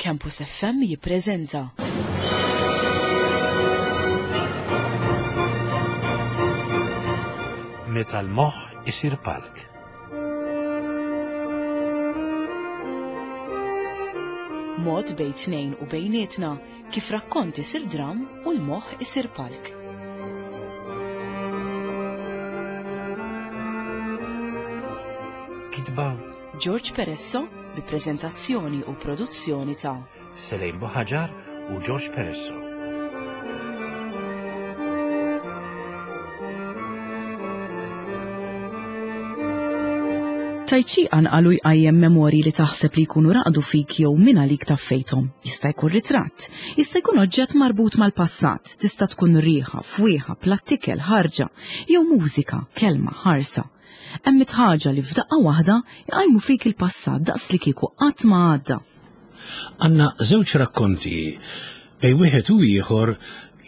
Campus FM jippreżenta. Meta l-moħħ isir palk. Mod bejn tnejn u bejnietna kif rakkont isir dram u l-moħħ isir palk. Kitba George Peresso bi preżentazzjoni u produzzjoni ta' Selejn Buħaġar u George Peresso. Tajċi qanqalu jqajjem memorji li taħseb li jkunu raqdu fik jew min għalik taffejthom. Jista' jkun ritratt, jista' jkun oġġett marbut mal-passat, tista' tkun riħa, fwieħa, plattikel, ħarġa, jew mużika, kelma, ħarsa. Hemm mitt ħaġa li f'daqqa waħda jqajmu fik il-passat daqs li kieku qatt ma għadda. Għandna żewġ rakkonti bejn wieħed u ieħor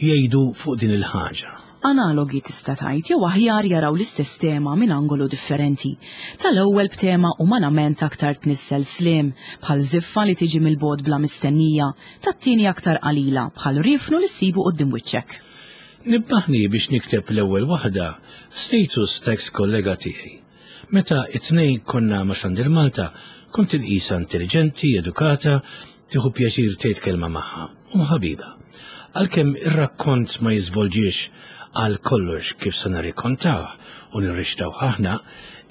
jgħidu fuq din il-ħaġa. Analogi tista' tgħid jew aħjar jaraw l-istess tema minn angolu differenti. Tal-ewwel b'tema umanament aktar tnissel sliem, bħal żiffa li tiġi mill-bogħod bla mistennija, tat-tieni aktar qalila, bħal riefnu li ssibu quddiem wiċċek. Nibbaħni biex nikteb l-ewwel waħda status ta' ex kollega tiegħi. Meta it-tnejn konna ma' Xandir Malta, kont inqisha intelliġenti, edukata, tieħu pjaċir tgħid kelma magħha u ħabiba. Għalkemm ir-rakkont ma jiżvolġiex għal kollox kif se nirrikkontawh u nirrixtawh aħna,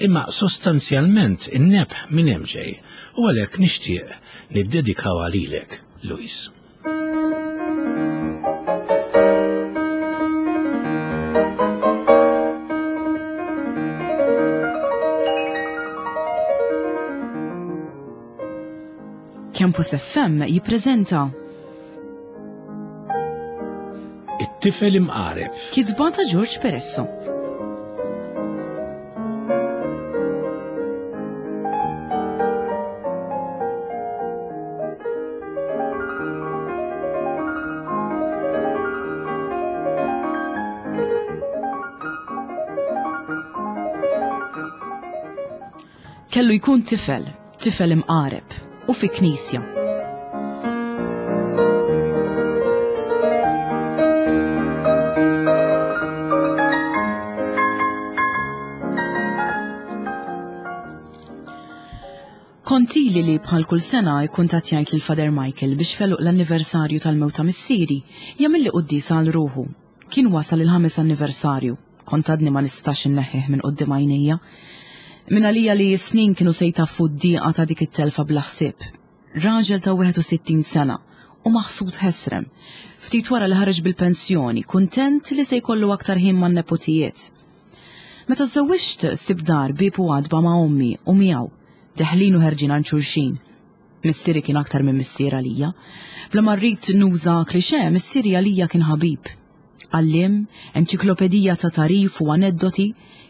imma sostanzjalment in-nebħ minn hemm ġej u għalhekk nixtieq niddedikawha lilek, Louise. Campus FM jippreżenta It-tifel imqareb. Kitba ta' George Peresso. Kellu jkun tifel, tifel imqareb, u fi knisja. Kont ili li bħal kull sena ikkuntattjajt lil Father Michael biex f'għeluq l-anniversarju tal-mewt ta' missieri jagħmilli quddiesa għal ruħu. Kien wasal il-ħames anniversarju. Kont għadni ma nistax inneħħih minn quddiem għajnejja. Min għalija li s-snin kienu se jtaffu d-dieqa ta' dik it-telfa bla ħsieb. Raġel ta' 61 sena u maħsud ħesrem. Ftit wara li ħareġ bil-pensjoni, kuntent li se jkollu aktar ħin man-neputijiet. Meta żżewwiġt sibt dar bieb u għatba ma' ommi u miegħu, deħlin u ħerġin għand xulxin. Missieri kien aktar minn missier għalija. Bla ma rrid nuża klixè, missieri għalija kien ħabib. Għalliem, enċiklopedija ta' tagħrif u aneddoti,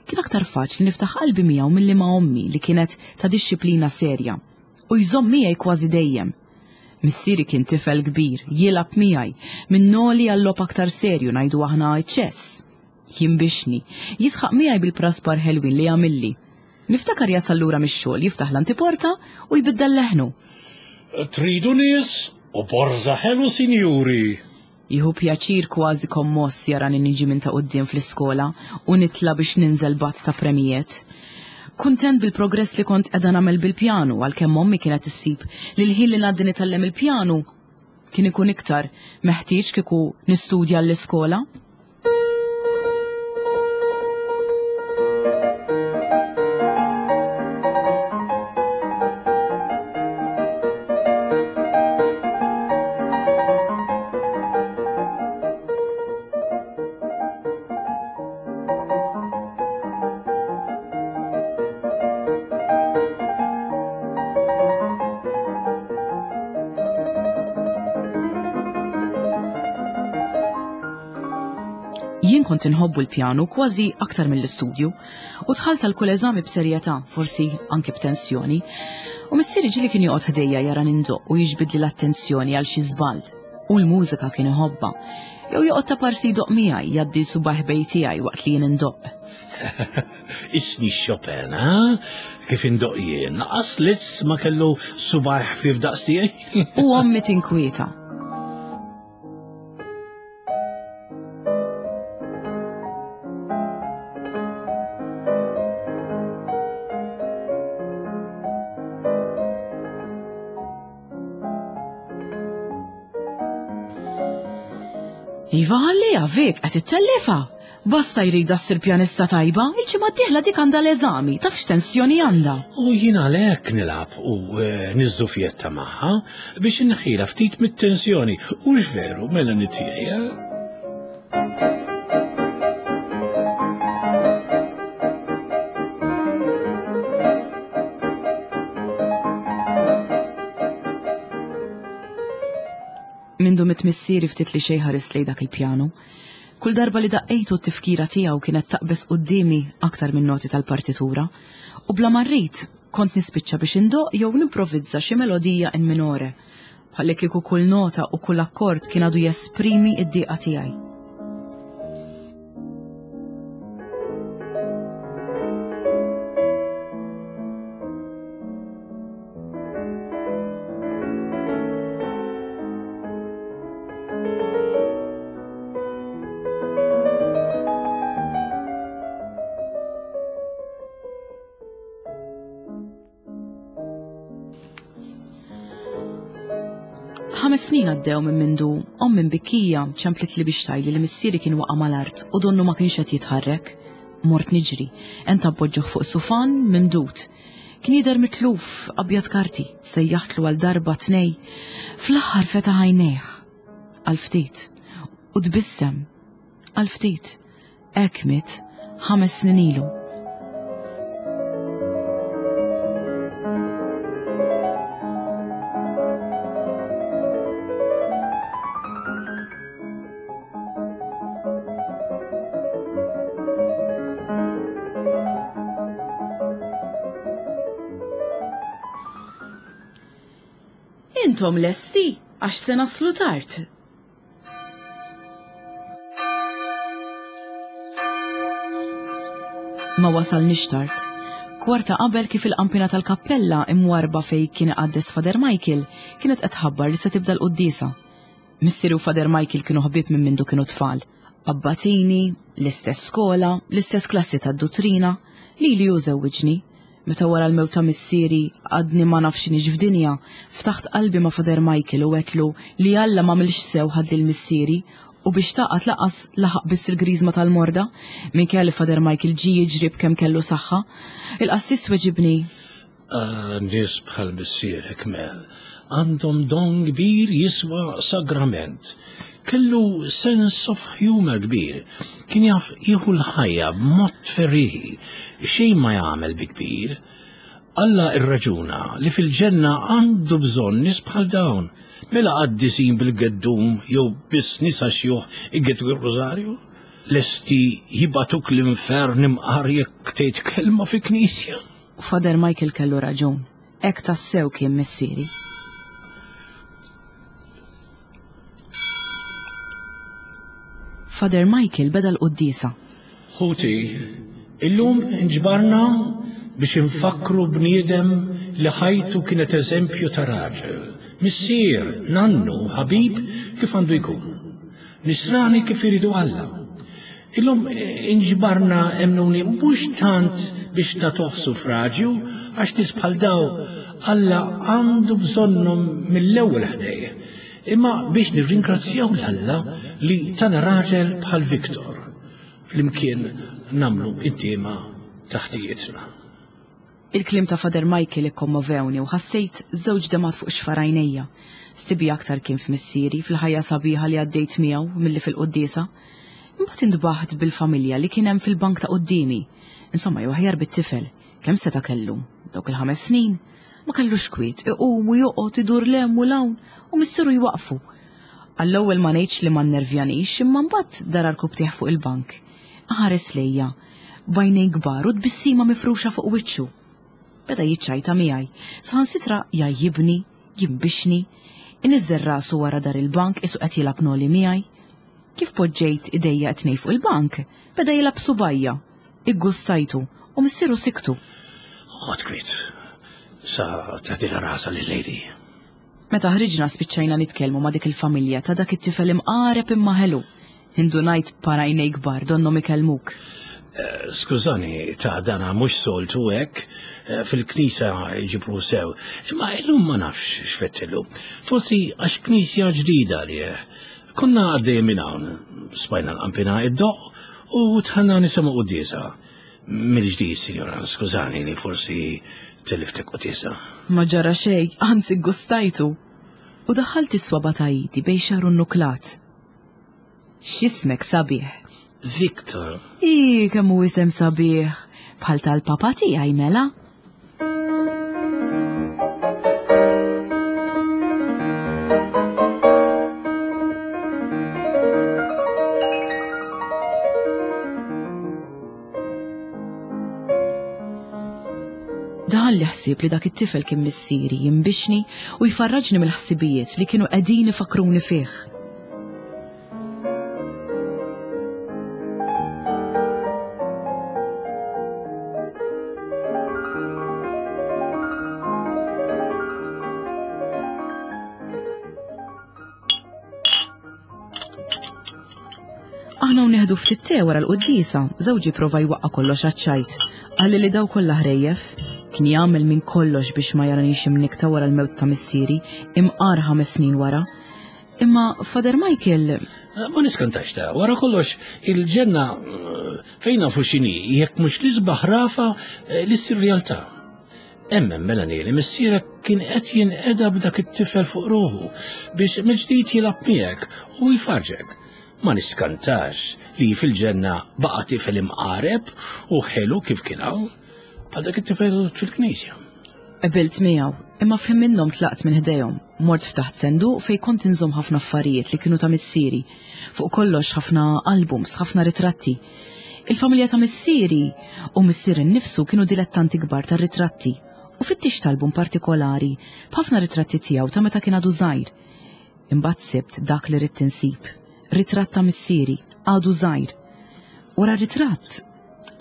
kien aktar faċli niftaħ qalbi miegħu milli ma' ommi li kienet ta' dixxiplina serja u jżomm miegħi kważi dejjem. Missieri kien tifel kbir, jilgħab miegħi, minn noli għal logħob aktar serju ngħidu aħna ċ-ċess. Jinbixni, jidħaq miegħi bil-praspar ħelwin li jagħmilli. Niftakar jasal lura mix-xogħol, jiftaħ l-antiporta u jbiddel leħnu. Tridu nies u borża ħelu sinjuri! Jieħu pjaċir kważi kommoss jarani niġi minn ta' quddiem fl-iskola u nitla' biex ninżel b'għadd ta' premijiet. Kuntent bil-progress li kont qiegħda nagħmel bil-pjanu għalkemm ommi kienet issib li l-ħin li ngħaddi nitgħallem il-pjanu kien ikun iktar meħtieġ kieku nistudja l-iskola. Jien kont inħobbu l-pjanu kważi aktar mill-istudju u dħalt għal kull eżami b'serjetà, forsi anke b'tensjoni. U missieri ġieli kien joqgħod ħdejja jara nindoq u jiġbidli l-attenzjoni għal xi żball. U l-mużika kien iħobbha. Jew joqgħod ta' parsi jdoqq miegħi, jgħaddi subgħajh bej tiegħi waqt li jien indoqq. Isni Chopin, ha? Kif indoq jien, laqas Liszt ma kellu subgħaj ħfief daqs tiegħi. U ommi tinkwieta. Iva ħalliha Vic qed ittellifha. Basta jridha ssir pjanista tajba, il-ġimgħa d-dieħla dik għandha l-eżami, taf x'tensjoni għandha. U jien għalhekk nilgħab u eh, niżżufjetta magħha biex inneħħilha ftit mit-tensjoni. U veru, mela tiegħi. Eh? Mindu miet missieri ftit li xejn ħarist lejn dak il-pjanu. Kull darba li daqqejtu t-tifkira tiegħu kienet taqbeż quddiemi aktar min-noti tal-partitura, u bla ma rrid kont nispiċċa biex indoqq jew nimprovizza xi melodija in minore, bħallikieku kull nota u kull akkord kien għadu jesprimi d-dieqa tiegħi. Ħames snin għaddew minn mindu ommi mbikkija ċemplitli biex tgħidli li missieri kien waqa' mal-art u donnu ma kienx qed jitħarrek. Mort niġri, ent appoġġuh fuq sufan mimdud. Kien jidher mitluf, abjad karti, sejjaħtlu għal darba tnej. Fl-aħħar fetaħ għajnejh għal ftit u tbissem għal ftit. Hekk miet ħames snin ilu. Intom lesti għax se naslu tard. Ma wasalniex tard. Kwarta qabel kif il-qampina tal-kappella imwarba fej kien iqaddes Father Michael kienet qed tħabbar li se tibda l-quddiesa. Missieri u Father Michael kienu ħbieb minn mindu kienu tfal. Abbatini, l-istess skola, l-istess klassi tad-duttrina, lili hu żewwiġni. Meta wara l-mewt ta' missieri għadni ma naf x'inhix f'dinja, ftaħt qalbi ma' Father Michael u għedtlu li Alla m'għamilx sew ħad lil missieri u biex tgħaqqad lanqas laħaq biss il-griżma tal-morda, minkejja li Father Michael ġie jiġri b'kemm kellu saħħa. Il-qassis weġibni. Ah, nies bħal missierek Mel, għandhom don kbir jiswa sagrament. Kellu sense of humor kbir, kien jaf jieħu l-ħajja b'mod ferrieħi, xejn ma jagħmel bi kbir. Alla irraġuna li fil-ġenna għandu bżonn nies bħal dawn, mela qaddisin bil-geddum jew biss nisa xjuħ igeddgu r-rużarju? Lesti jibgħatuk l-infern imqar jekk tgħid kelma fi knisja? Father Michael kellu raġun. Hekk tassew kien missieri. Father Michael beda l-quddiesa. Ħuti, illum inġbarna biex infakkru bniedem li ħajtu kienet eżempju ta' raġel, missier, nannu, ħabib kif għandu jkun. Nisrani kif iridu Alla. Illum inġbarna emmnuni mhux tant biex nagħtuh suffraġju għax nies bħal daw Alla għandu bżonnhom mill-ewwel ħdejh, imma biex nirringrazzjaw 'l Alla li tana raġel bħal Victor. Flimkien nagħmlu intiema ta' ħtijietna. Il-kliem ta' Father Michael ikkommovewni u ħassejt żewġ demgħat fuq xfar għajnejja. Sibi aktar kien f'missieri, fil-ħajja sabiħa li għaddejt miegħu milli fil-quddiesa. Imbagħad intbaħt bil-familja li kien hemm fil-bank ta' quddiemi. Insomma, jew aħjar bit-tifel. Kemm seta' kellu? Dawk il-ħames snin? Ma kellux kwiet, iqum u joqgħod idur 'l hemm u 'l hawn u missieru jwaqqfu. Għall-ewwel ma ngħidx li ma nnervjanix imma mbagħad dar għarkupptejh fuq il-bank. Ħares lejja, b'għajnejn kbar u tbissima mifruxa fuq wiċċu. Beda jiċċajta miegħi, saħansitra jgħajjibni, jinbixni, iniżżel rasu wara dar il-bank qisu qed jilgħab noli miegħi. Kif poġġejt idejja t-tnejn fuq il-bank, beda jilgħab subgħajja. Iggustajtu U missieru siktu. Oqgħod kwiet. Sa tagħtilha rasha lil-lady. Meta ħriġna spiċċajna nitkellmu ma' dik il-familja ta' dak it-tifel imqareb imma ħelu. Indunajt b'par għajnej kbar donnhom ikellmuk. Eh, skużani, ta' dana mhux soltu hekk, eh, fil-knisja jġibru sew, imma illum ma nafx x'fettillu. Forsi għax knisja ġdida li eh. Konna għaddej minn hawn, smajna l-qampina id-doq u tħanna nisimgħu quddiesa. Mill-ġdid, sinjora, skużani li forsi tiliftek quddiesa. Ma ġara xejn, anzi gustajtu. U daħħalt is-swaba ta' idi bejn xagħru nnuklat. X'ismek sabiħ. Victor. Ii, kemm hu isem sabiħ. Bħal tal-papa tiegħi mela. Daħal li ħsieb li dak it-tifel kien missieri jimbixni u jfarraġni mill-ħsibijiet li kienu qegħdin ifakruni fih. Aħna u nieħdu ftit te wara l-quddiesa, żewġi prova jwaqqa' kollox għaċ-ċajt. Qalli li daw kollha ħrejjef. Kien jagħmel minn kollox biex ma jaranix imnikta wara l-mewt ta' missieri, imqar ħames snin wara. Imma Father Michael. Ma niskantax ta' wara kollox il-ġenna eh, fejn nafu x'inhi jekk mhux l-isbaħ rafa eh, li ssir realtà. Emmen Melanie li missierek kien qed jinqeda b'dak it-tifel fuq ruħu biex mill-ġdid jilgħab miegħek u jfarġek. Ma niskantax li fil-ġenna baqa' tifel imqareb u ħelu kif kien hawn bħal dak it-tifel fil-knisja. Qbilt miegħu, imma f'ħin minnhom tlaqt minn ħdejhom. Mort ftaħt senduq fejn kont inżomm ħafna affarijiet li kienu ta' missieri. Fuq kollox ħafna albums, ħafna ritratti. Il-familja ta' missieri u missieri nnifsu kienu dilettanti kbar tar-ritratti u fittixt album partikolari b'ħafna ritratti tiegħu ta' meta kien għadu żgħir. Imbagħad sibt dak li ridt insib. Ritratt ta' missieri, għadu żgħir. Wara r-ritratt,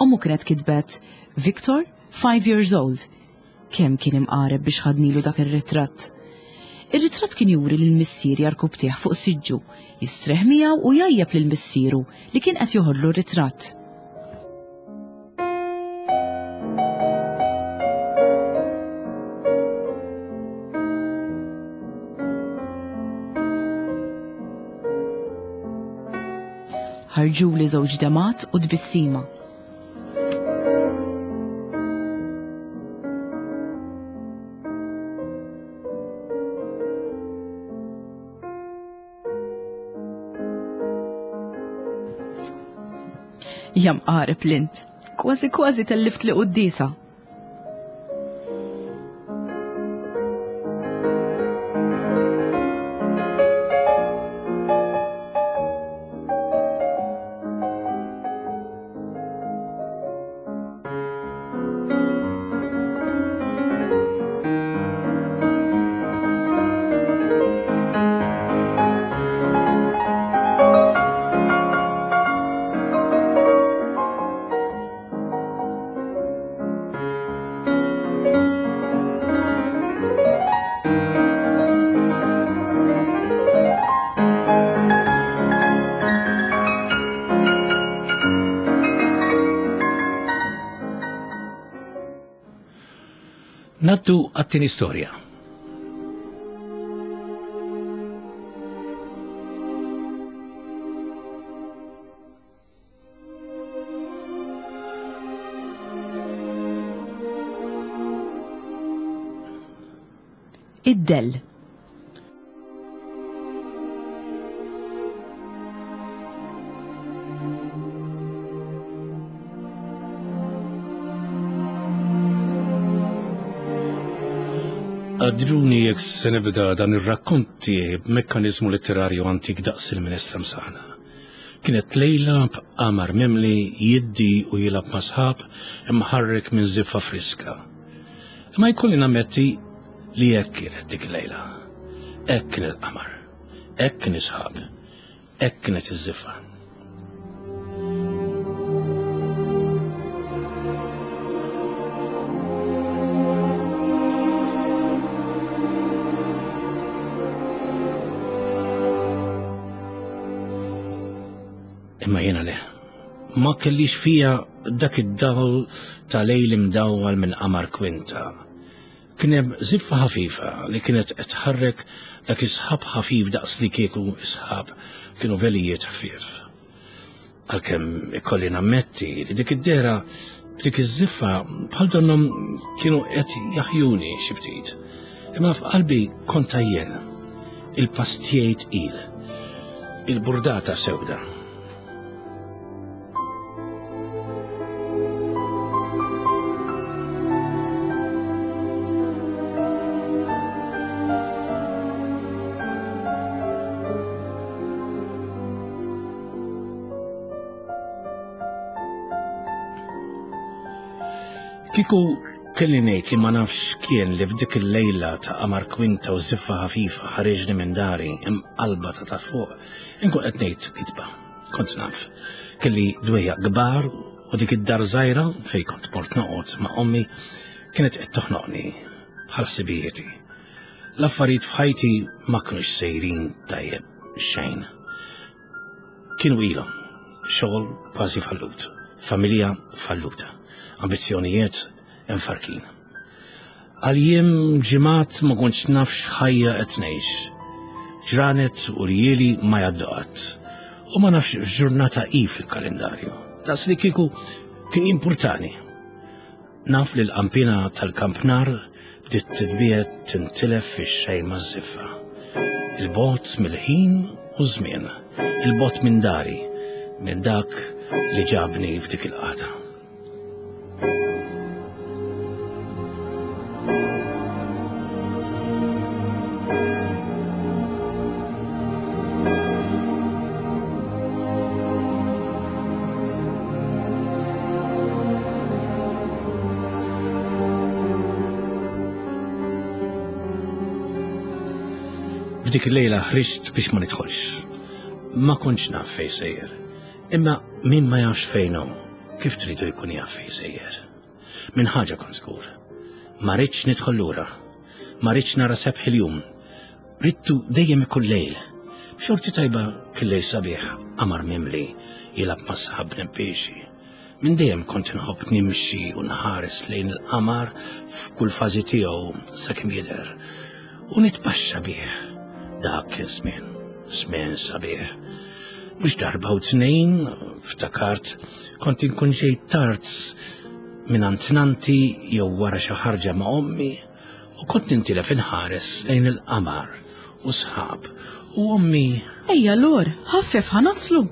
ommu kienet kitbet Victor, five years old. Kemm kien imqareb biex ħadnilu dak ir-ritratt. Ir-ritratt kien juri lil missier jarkub tih fuq siġġu, jistrieħ miegħu u jgħajjeb lil missieru li kien qed joħodlu r-ritratt. Ħarġuli żewġ demat u tbissima. Jam qarib lint. Kważi kważi tellift li quddisa. Naddu għat-tieni storja. Id-dell. Għadruni jekk se nibda dan ir-rakkont tiegħi b'mekkaniżmu letterarju antik daqs il-minestra msaħna. Kienet lejla b'qamar mimli jiddi u jilgħab ma' sħab imħarrek minn żiffa friska. Imma jkolli nammetti li hekk kienet dik il-lejla. Hekk kien il-qamar. Hekk kien is-sħab. Hekk kienet iż-żiffa. Imma jiena le. Ma kellix fija dak id-dawl ta' lejl imdawwal minn qamar kwinta. Kien hemm żiffa ħafifa li kienet qed tħarrek dak is-sħab ħafif daqs li kieku s-sħab kienu velijiet ħfief. Għalkemm ikolli nammetti li dik id-dehra b'dik iż-żiffa bħal donnhom kienu qed jaħjuni xi ftit. Imma f'qalbi kont għajjen. Il-pass tiegħi tqil. Il-burdata sewda. Kieku kelli ngħid li ma nafx kien li f'dik il-lejla ta' qamar kwinta u żiffa ħafifa ħariġni minn dari imqalba ta' ta' fuq, inkun qed ngħid kitba. Kont naf. Kelli dwejjaq kbar u dik id-dar żgħira fejn kont mort noqgħod ma' ommi kienet qed toħnoqni bħal ħsibijieti. L-affarijiet f'ħajti ma kinux sejrin tajjeb xejn. Kienu ilhom xogħol kważi fallut, familja falluta, ambizzjonijiet imfarkin. Għal jiem ġimgħat ma kontx naf x'ħajja qed ngħix. Ġranet u ljieli ma jgħaddu qatt. U ma nafx x'ġurnata hi fil-kalendarju. Daqs li kieku kien jimpurtani. Naf li l-qampina tal-kampnar bdiet titbiegħed tintilef fix-xejn maż-żiffa. Il-bogħod mill-ħin u ż-żmien, il-bogħod minn dari, minn dak li ġabni f'dik il-qagħda. F'dik il-lejla ħriġt biex ma nidħolx. Ma kontx naf fejn sejjer. Imma min ma jafx fejn hu, kif tridu jkun jaf fejn sejjer? Minn ħaġa kont żgur. Ma ridx nidħol lura. Ma ridx nara sebħ il-jum. Ridtu dejjem ikun lejl. B'xorti tajba kien lejl sabiħ, qamar mimli, jilgħab ma' sħab nebbiexi. Minn dejjem kont inħobb nimxi u nħares lejn il-qamar f'kull fażi tiegħu sakemm jidher. U nitpaxxa bih. Dak kien żmien, żmien sabiħ. Mhux darba u tnejn, ftakart, kont inkun ġejt tard minn nanti jew wara xi ħarġa ma' ommi u kont nintilef inħares lejn il-qamar u sħab u ommi. Ejja Lor, ħaffef ħa naslu.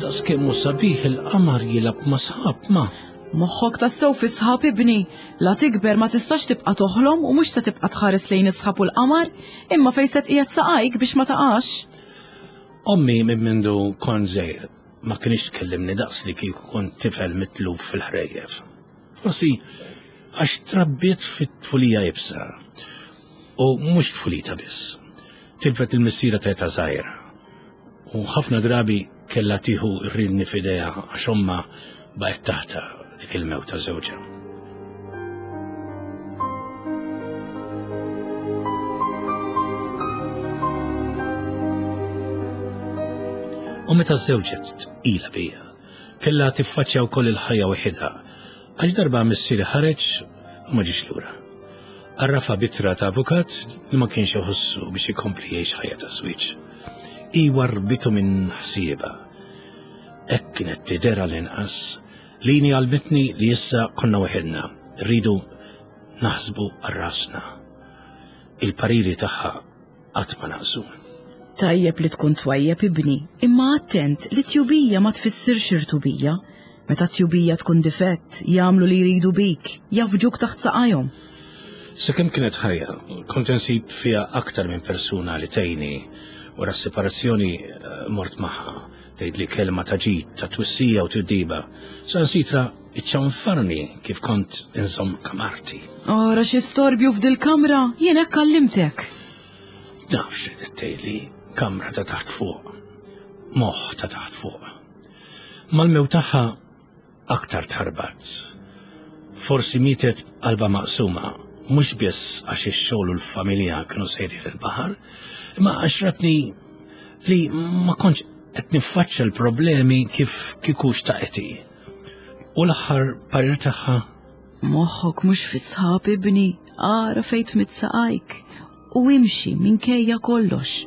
Daqs kemm hu sabiħ il-qamar jilgħab ma' sħab ma. Moħħok tassew fi sħab ibni, la tikber ma tistax tibqa' toħlom u mhux se tibqa' tħares lejn is-sħab u l-qamar, imma fejn se tqiegħed saqajk biex ma taqax. Ommi minn mindu kont żgħir ma kinitx tkellimni daqs li kieku kont tifel mitluf fil-ħrejjef. Forsi għax trabbiet fit-tfulija iebsa u mhux tfulita biss. Tilfet il-missiera ta' età żgħira u ħafna drabi kellha tieħu r-rinni f'idejha għax ommha baqgħet taħtha dik il-mewt ta' żewġha. U meta żżewġet tqila bija, kellha tiffaċċja wkoll il-ħajja waħidha, għax darba missieri ħareġ u ma ġiex lura. Għarrafha b'ittra ta' avukat li ma kienx iħossu biex ikompli jgħix ħajja ta' żwieġ. Hi warrbitu minn ħsiebha. Hekk kienet tidher għall-inqas. Lini għallmitni li issa konna waħedna, rridu naħsbu għal rasna. Il-pariri tagħha qatt ma naqsu. Tajjeb li tkun twajjeb ibni, imma attent li tjubija ma tfissirx irtubija. Meta t-tjubija tkun difett, jagħmlu li jridu bik, jafġuk taħt saqajhom. Sakemm kienet ħajja, kont insib fiha aktar minn persuna li tgħinni wara s-separazzjoni eh, mort magħha tgħidli kelma ta' ġid, ta' twissija u tiddiba. Sansitra iċċanfarni kif kont inżomm kamarti. Ora xi storbju f'dil-kamra, jien hekk għallimtek. Naf xi tgħidli kamra ta' taħt fuq, moħħ ta' taħt fuq. Mal-mew tagħha aktar tħarbat. Forsi mietet qalba maqsuma, mhux biss għax ix-xogħol u l-familja kienu sejrin il-baħar, imma għax ratni li ma kontx qed niffaċċja l-problemi kif kieku xtaqet hi. U l-aħħar parir tagħha? Moħħok mhux fi sħab ibni, ara fejn tmidd saqajk u imxi minkejja kollox.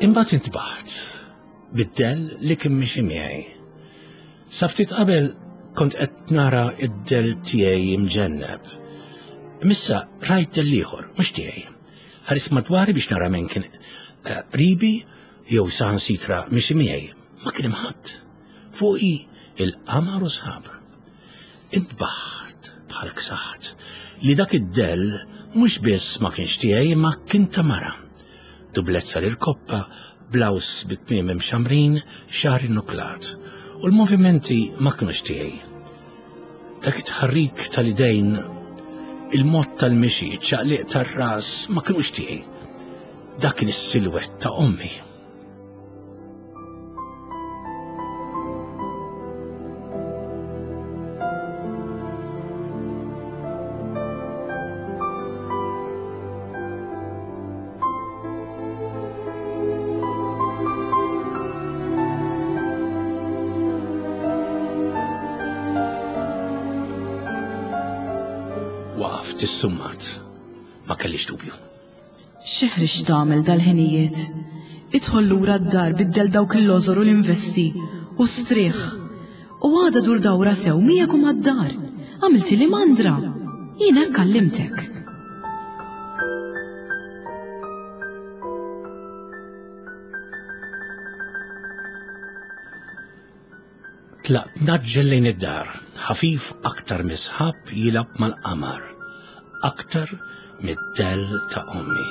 Imbagħad intbaħt bid-dell li kien mixi miegħi. Sa ftit qabel kont qed nara id-dell tiegħi imġenneb. Missa rajt dell ieħor, mhux tiegħi. Ħares madwari biex nara min kien eh, qribi jew saħansitra mixi miegħi. Ma kien hemm ħadd. Fuqi il-qamar u sħab. Intbaħt bħal ksaħt li dak id-dell mhux biss ma kienx tiegħi imma kien ta' mara. Dublezza l-irkoppa, blaws bit-tmiem imxamrin, xagħar innuklat. U l-movimenti ma kinux tiegħi. Dak it-tħarrik tal-idejn, il-mod tal-mixi, ċaqliq tar-ras ma kinux tiegħi. Dak kien is-silwett ta' ommi. Waqaft is-summat, ma kellix dubju. Xi ħriġt tagħmel dal-ħinijiet? Idħol lura d-dar biddel dawk il-lożor u l-investi u strieħ. U għada dur dawra sew miegħek u mad-dar. Għamiltili mandra. Jien hekk għallimtek. Tlaqt naġġel lejn id-dar, ħafif aktar mis-sħab jilgħab mal-qamar, aktar mid-dell ta' ommi.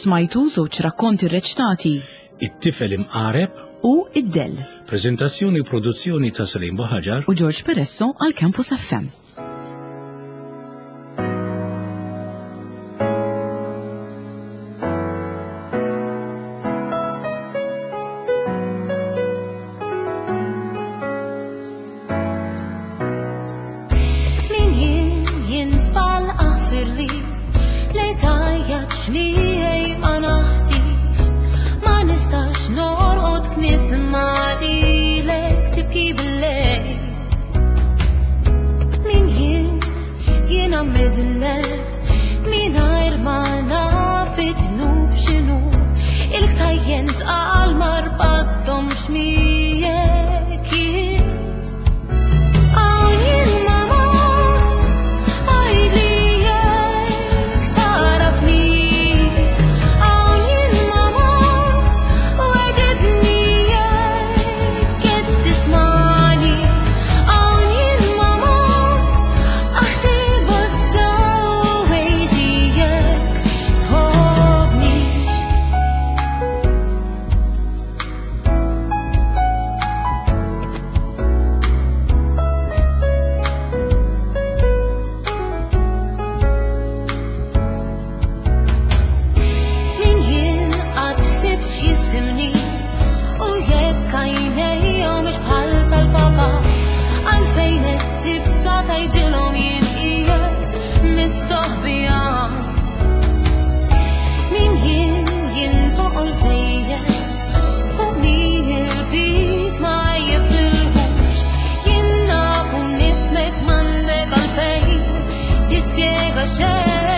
Smajtu żewġ rakkonti rreċtati. It-tifel imqareb u Id-Dell. Preżentazzjoni u produzzjoni ta' Salim Buħaġar u George Peresso għal Campus FM. Min jien jien tfal aħfirli li tajjat xmiegħi ma naħtix ma nistax norqod knisma' lilek tibki bil-lejl. Min jien jiena midneb mingħajr ma naf it-tnub x'inhu il-ktajjen tqal ma rbatthomx miegħek jien. Hawn jien mama għidli jekk tagħrafnix. Hawn jien mama weġibni jekk qed tismagħni. Hawn jien mama aħsibha sew għidli jekk tħobbnix. Min jien qatt ħsibt x'jisimni u jekk għajnejhom mhux bħal tal-papa għalfejn qed tibsa tgħidilhom jien qiegħed mistoħbija. Min jien jien toqol żejjed fuq min il-piż ma jifilħux jien naf u nifhmek m'għandek għalfejn tispjega xejn.